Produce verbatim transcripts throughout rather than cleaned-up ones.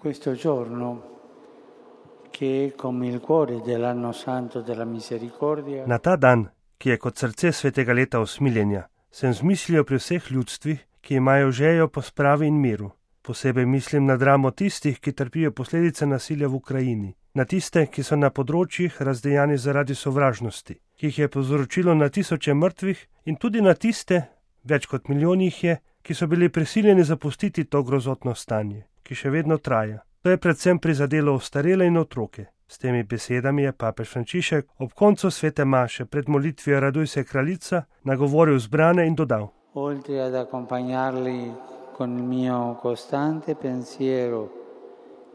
questo giorno che è come il cuore dell'anno santo della misericordia. Na ta dan, ki je kot srce svetega leta usmiljenja, sem z mislijo pri vseh ljudstvih, ki imajo željo po spravi in miru. Posebej mislim na dramo tistih, ki trpijo posledice nasilja v Ukrajini, na tiste, ki so na področjih razdejani zaradi sovražnosti, ki jih je povzročilo na tisoče mrtvih, in tudi na tiste, več kot milijon jih je, ki so bili prisiljeni zapustiti to grozotno stanje, ki še vedno traja. To je predvsem prizadelo ostarele in otroke. S temi besedami je papež Frančišek ob koncu svete maše pred molitvijo Raduj se kraljica nagovoril zbrane in dodal: Oltre ad accompagnarli con il mio costante pensiero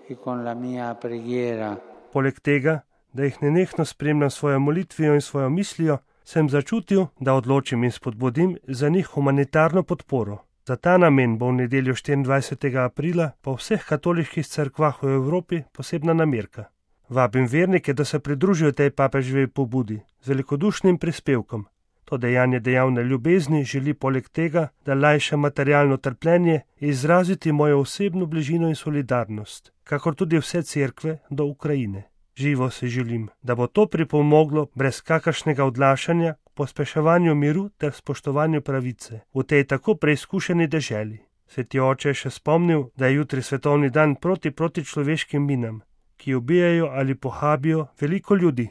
e con la mia preghiera. Poleg tega, da jih nenehno spremljam svojo molitvijo in svojo mislijo, sem začutil, da odločim in spodbudim za njih humanitarno podporo. Za ta namen bo v nedeljo štiriindvajsetega aprila po vseh katoliških cerkvah v Evropi posebna namerka. Vabim vernike, da se pridružijo tej papeževi pobudi z velikodušnim prispevkom. To dejanje dejavne ljubezni želi poleg tega, da lajša materialno trpljenje, izraziti mojo osebno bližino in solidarnost, kakor tudi vse cerkve do Ukrajine. Živo si želim, da bo to pripomoglo brez kakršnega odlašanja k pospeševanju miru ter spoštovanju pravice v tej tako preizkušeni deželi. Sveti oče je še spomnil, da je jutri svetovni dan proti protičloveškim minam, ki ubijajo ali pohabijo veliko ljudi.